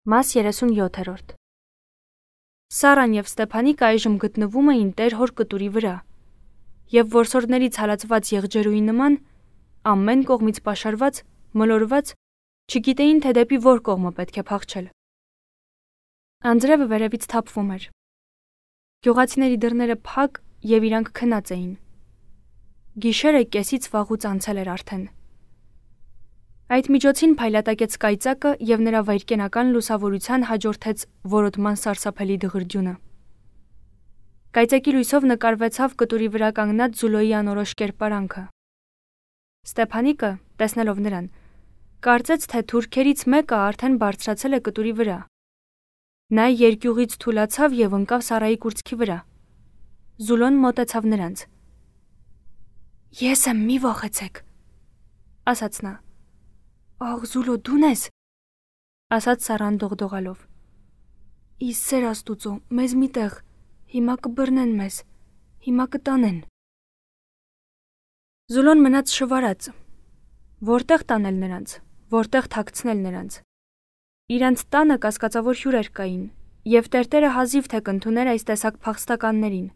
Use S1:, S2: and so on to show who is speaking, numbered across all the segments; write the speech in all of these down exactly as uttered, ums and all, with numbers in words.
S1: Մաս երեսունյոթերորդ Սարան և Ստեփանիկը այժմ գտնվում էին տեր հոր կտուրի վրա, և որսորդներից հալածված եղջերուի նման, ամեն կողմից պաշարված, մոլորված, չգիտեին, թե դեպի որ կողմը պետք է փախչել։ Անձրևը վերևից թափվում էր։ Գյուղացիների դռները փակ և իրանք քնած էին։ Գիշերը կեսից վաղուց անցել էր արդեն։ Այդ միջոցին փայլատակեց կայծակը և նրա վայրկենական լուսավորության հաջորդեց որոտման սարսափելի դղրդյունը։ Կայծակի լույսով նկարվեցավ կտուրի վրա կանգնած Զուլոյի անորոշ կերպարանքը։ Ստեփանիկը, տեսնելով նրան, կարծեց, թե թուրքերից մեկը արդեն բարձրացել է կտուրի վրա։ Նա երկյուղից թուլացավ և ընկավ Սարայի կուրծքի վրա։ Զուլոն մոտեցավ նրանց։ «Ես եմ, մի վախեցեք», ասաց նա։ «Աղ, Զուլո, դու՞ն ես», ասաց Սարան դողդողալով։ «Ի սեր Աստուծո, մեզ մի տեղ, հիմա կբռնեն մեզ, հիմա կտանեն»։ Զուլոն մնաց շվարած։ Որտեղ տանել նրանց, որտեղ թաքցնել նրանց։ Իրանց տանը կասկածավոր հյուրեր կային, և տերտերը հազիվ թե կընդուներ այս տեսակ փախստականներին։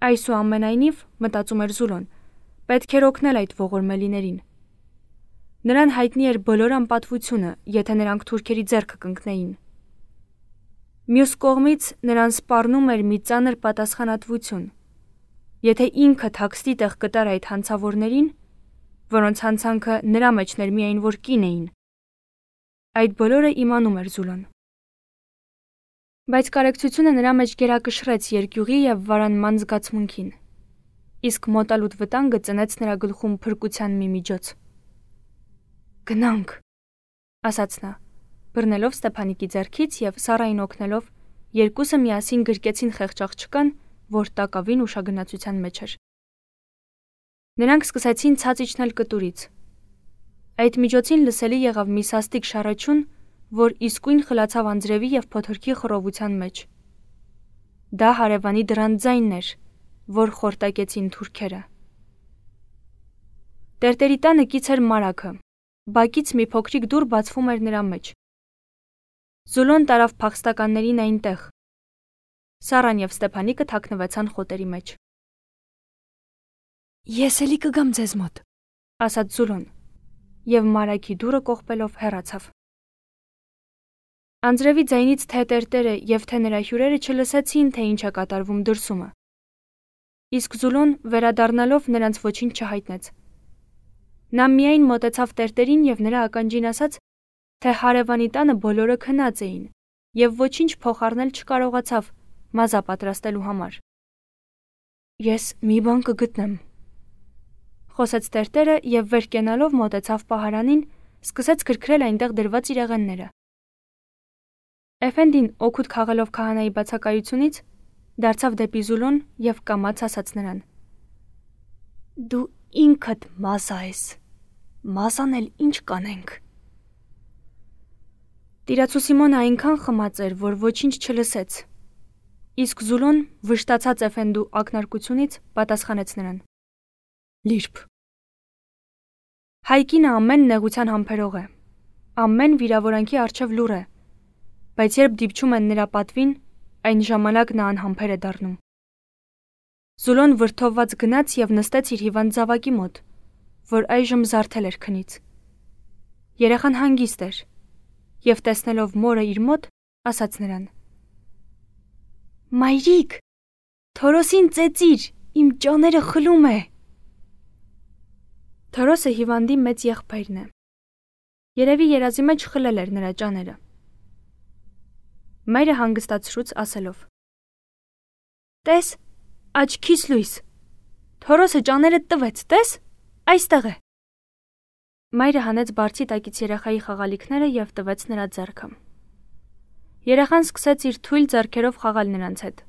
S1: Այսուամենայնիվ, մտածում էր Զուլոն, պետք էր օգնել այդ ողորմելիներին։ Նրան հայտնի էր բոլոր անպատվությունը, եթե նրանք թուրքերի ձեռքը կընկնեին։ Մյուս կողմից նրան սպառնում էր մի ծանր պատասխանատվություն։ Եթե ինքը թաքստի տեղ կտար այդ հանցավորներին, որոնց հանցանքը նրա մեջն էր միայն որ կին էին, այդ բոլորը իմանում էր Զուլոն։ Բայց կարեկցությունը նրա մեջ գերակշռեց երկյուղի և վարանման զգացմունքին, իսկ մոտալուտ վտանգը ծնեց նրա գլխում փրկության մի միջոց։ «Գնանք», ասաց նա, բռնելով Ստեփանիկի ձեռքից և Սարային օգնելով, երկուսը միասին գրկեցին խեղճ աղջկան, որ տակավին ուշագնացության մեջ էր։ Նրանք սկսեցին ցած իջնել կտուրից։ Այդ միջոցին լսելի եղավ մի սաստիկ շառաչյուն, որ իսկույն խլացավ անձրևի և փոթորկի խռովության մեջ։ Դա հարևանի դռան ձայնն էր, որ խորտակեցին թուրքերը։ Տերտերի տանը կից էր մարագը, բակից մի փոքրիկ դուռ բացվում էր նրա մեջ։ Զուլոն տարավ փախստականներին այնտեղ։ Սարան և Ստեփանիկը թաքնվեցան խոտերի մեջ։ «Ես էլի կգամ ձեզ մոտ», ասաց Զուլոն, և մարագի դուռը կողպելով հեռացավ։ Անձրևի ձայնից թե տերտերը և թե նրա հյուրերը չլսեցին, թե ինչ է կատարվում դրսումը։ Իսկ Զուլոն, վերադառնալով, նրանց ոչինչ չհայտնեց։ Նա միայն մոտեցավ տերտերին և նրա ականջին ասաց, թե հարևանի տանը բոլորը քնած էին և ոչինչ փոխառնել չկարողացավ մազա պատրաստելու համար։ «Ես մի բան կգտնեմ», խոսեց տերտերը և վեր կենալով մոտեցավ պահարանին, սկսեց քրքրել այնտեղ դրված իրեղենները։ Էֆենդին, օգուտ քաղելով քահանայի բացակայությունից, դարձավ դեպի Զուլոն և կամաց ասաց նրան. «Դու ինքդ մազա ես, մազան էլ ինչ կանենք»։ Տիրացու Սիմոնը այնքան խմած էր, որ ոչինչ չլսեց, իսկ Զուլոն, վշտացած Էֆենդու ակնարկությունից, պատասխանեց նրան. «Լիրբ»։ Հայ կինը ամեն նեղության համբերող է, ամեն վիրավորանքի առջև լուռ է, բայց երբ դիպչում են նրա պատվին, այն ժամանակ նա անհամբեր է դառնում։ Զուլոն վրդովված գնաց և նստեց իր հիվանդ զավակի մոտ, որ այժմ զարթել էր քնից։ Երեխան հանգիստ էր, և տեսնելով մորը իր մոտ, ասաց նրան. «Մայրիկ, Թորոսին ծեծիր, իմ ճաները խլում է»։ Թորոսը հիվանդի մեծ եղբայրն է։ Երևի երազի մեջ խլել էր նրա ճաները։ Մայրը հանգստացրուց ասելով. «Տես, աչքիս լույս, Թորոսը ճաներդ տվեց, տես, այստեղ է»։ Մայրը հանեց բարձի տակից երեխայի խաղալիքները և տվեց նրա ձեռքը։ Երեխան սկսեց իր թույլ ձեռքերով խաղալ նրանց հետ։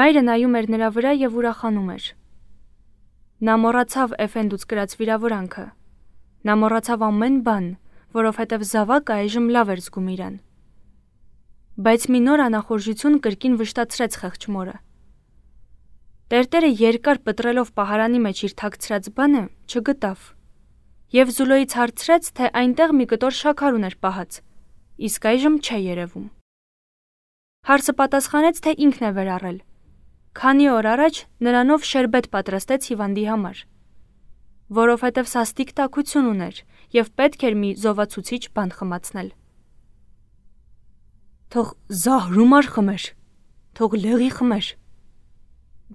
S1: Մայրը նայում էր նրա վրա և ուրախանում էր։ Նա մոռացավ Էֆենդուց կրած վիրավորանքը։ Նա մոռացավ ամեն բան, որովհետև զավակը այժմ լավ էր զգում իրան։ Բայց մի նոր անախորժություն կրկին վշտացրեց խեղճ մորը։ Տերտերը երկար պտրելով պահարանի մեջ իր թաքցրած բանը չգտավ եւ Զուլոյից հարցրեց, թե այնտեղ մի կտոր շաքար ուներ պահած, իսկ այժմ չէ երևում։ Հարսը պատասխանեց, թե ինքն է վերառել։ Քանի օր առաջ նրանով շերբետ պատրաստեց հիվանդի համար, որովհետև սաստիկ տաքություն ուներ եւ պետք էր մի զովացուցիչ բան խմացնել։ Թող զահրումար խմեր, թող լեղի խմեր,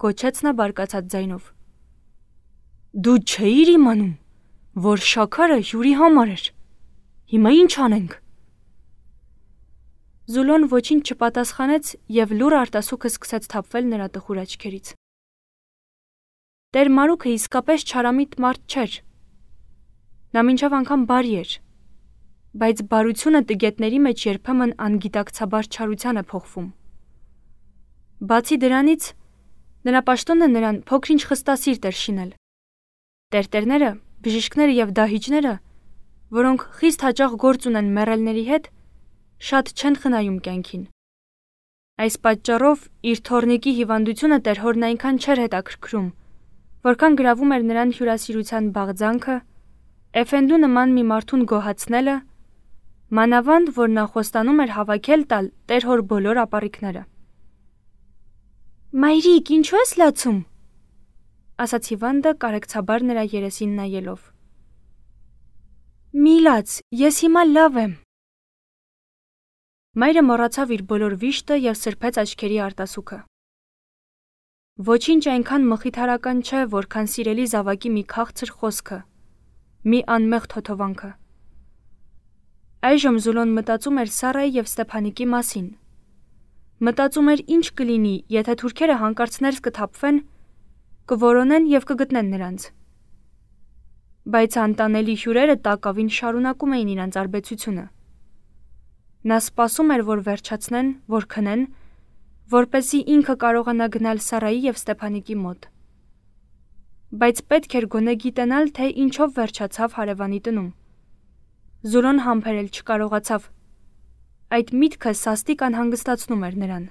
S1: գոչեց նա բարկացած ձայնով։ Դու չէիր իմանում, որ շաքարը հյուրի համար էր։ Հիմա ինչ անենք։ Զուլոն ոչինչ չպատասխանեց եւ լուռ արտասուքը սկսեց թափվել նրա տխուր աչքերից։ Տեր Մարուքը իսկապես չարամիտ մարդ չէր։ Նա մինչև անգամ բարի էր, բայց բարությունը տգետների մեջ երբեմն անգիտակցաբար չարության է փոխվում։ Բացի դրանից, նրա պաշտոնը նրան փոքրինչ խստասիրտ էր շինել։ Տերտերները, բժիշկները եւ դահիճները, որոնք խիստ հաճախ գործ ունեն մեռելների հետ, շատ չեն խնայում կյանքին։ Այս պատճառով իր թորնիկի հիվանդությունը տեր հորն այնքան չէր հետաքրքրում, որքան գրավում էր նրան հյուրասիրության բաղձանքը, Էֆենդու նման մի մարդուն գոհացնելը, մանավանդ որ նա խոստանում էր հավաքել տալ տեր հոր բոլոր ապառիկները։ Մայրիկ, ինչու ես լացում, ասաց հիվանդը կարեկցաբար նրա երեսին նայելով։ Մի լաց, ես հիմա լավ եմ։ Մայրը մոռացավ իր բոլոր վիշտը եւ սրբեց աչքերի արտասուքը։ Ոչինչ այնքան մխիթարական չէ, որքան սիրելի զավակի մի քաղցր խոսքը, մի անմեղ թոթովանքը։ Այժմ Զուլոն մտածում էր Սարայի եւ Ստեփանիկի մասին։ Մտածում էր ինչ կլինի, եթե թուրքերը հանկարծ ներս կթափվեն, կորոնեն եւ կգտնեն նրանց։ Բայց անտանելի հյուրերը տակավին շարունակում էին իրենց արբեցությունը։ Նա սպասում էր, որ վերջացնեն, որ քնեն, որպեսզի ինքը կարողանա գնալ Սարայի եւ Ստեփանիկի մոտ։ Բայց պետք էր գոնե գիտենալ, թե ինչով վերջացավ հարևանի տնում։ Զուլոն համբերել չկարողացավ։ Այդ միտքը սաստիկ անհանգստացնում էր նրան։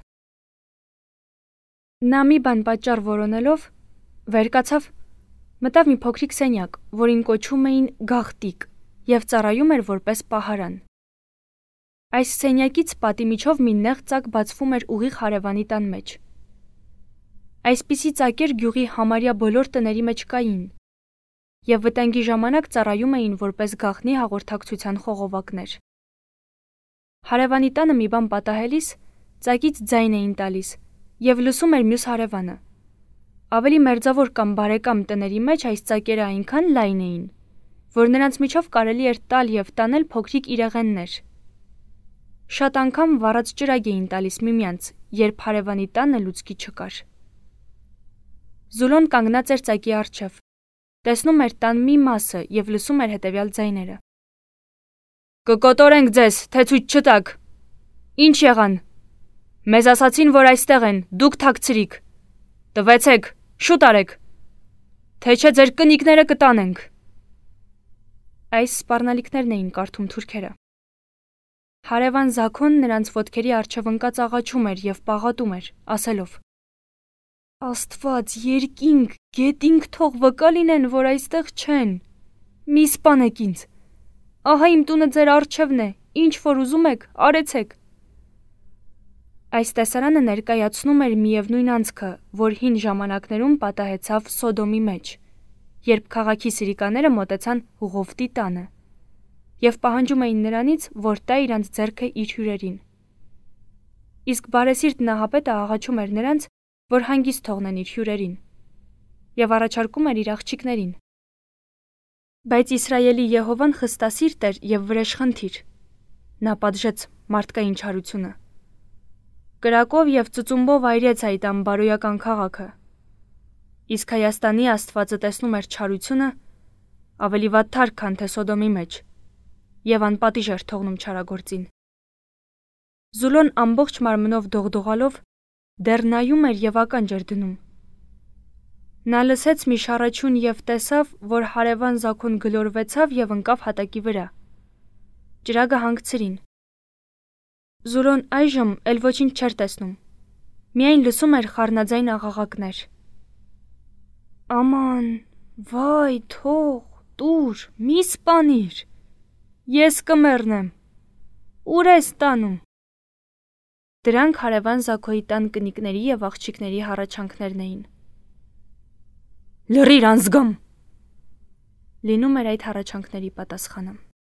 S1: Նա մի բան պատճառ որոնելով, վեր կացավ, մտավ մի փոքրիկ սենյակ, որին կոչում էին գաղտիկ, եւ ծառայում էր որպես պահարան։ Այս սենյակից պատի միջով մի նեղ ծակ բացվում էր ուղիղ հարևանի տան մեջ։ Այսպիսի ծակեր գյուղի համարյա բոլոր տների մեջ կային, եւ վտանգի ժամանակ ծառայում էին որպես գաղտնի հաղորդակցության խողովակներ։ Հարևանի տանը մի բան պատահելիս ծակից ձայն էին տալիս եւ լսում էր մյուս հարևանը։ Ավելի մերձավոր կամ բարեկամ տների մեջ այս ծակերը այնքան լայն էին, որ նրանց միջով կարելի էր տալ եւ տանել փոքրիկ իրեղեններ։ Շատ անգամ վառած ճրագ էին տալիս միմյանց, երբ հարևանի տանը լուցկի չկար։ Զուլոն կանգնած էր ծակի առջև, տեսնում էր տան մի մասը եւ լսում էր հետեւյալ ձայները։ Կկոտորենք ձեզ, թե ցույց չտաք։ Ինչ եղան։ Մեզ ասացին, որ այստեղ են, դուք թաքցրիք։ Տվեցեք, շուտ արեք։ Թե չէ ձեր կնիկները կտանենք։ Այս սպառնալիքներն էին կարդում թուրքերը։ Հարևան Զաքոն նրանց ոտքերի առջև ընկած աղաչում էր եւ պաղատում էր, ասելով. Աստված, երկինք, գետինք թող վկա լինեն, որ այստեղ չեն։ Մի սպանեք ինձ։ Ահա իմ տունը ձեր առջևն է, ինչ որ ուզում եք, արեցեք։ Այս տեսարանը ներկայացնում էր միևնույն անցքը, որ հին ժամանակներում պատահեցավ Սոդոմի մեջ, երբ քաղաքի սիրիկաները մոտեցան Ղովտի տանը եւ պահանջում էին նրանից, որ տա իրանց ձեռքը իր հյուրերին։ Իսկ բարեսիրտ Նահապետը աղաչում էր նրանց, որ հանգիստ թողնեն իր հյուրերին եւ առաջարկում էր իր աղջիկներին։ Բայց Իսրայելի Եհովան խստասիրտ էր եւ վրեժխնդիր։ Նա պատժեց մարդկային չարությունը։ Կրակով եւ ծծումբով այրեց այդ անբարոյական քաղաքը։ Իսկ Հայաստանի Աստվածը տեսնում էր չարությունը ավելի վատթար, քան թե Սոդոմի մեջ, եւ անպատիժ էր թողնում չարագործին։ Զուլոն ամբողջ մարմնով դողդողալով դեռ նայում էր եւ ականջ էր դնում։ Նա լսեց մի շառաչյուն եւ տեսավ, որ հարևան Զաքոն գլորվեցավ եւ ընկավ հատակի վրա։ Ճրագը հանգցրին։ Զուլոն այժմ էլ ոչինչ չէր տեսնում։ Միայն լսում էր խառնաձայն աղաղակներ։ Աման, վայ, թող, տուր, մի սպանիր, ես կմեռնեմ, ուր ես տանում։ Դրանք հարևան Զաքոյի տան կնիկների և աղջիկների հառաչանքներն էին։ Լռիր անզգամ, լինում էր այդ հառաչանքների պատասխանը։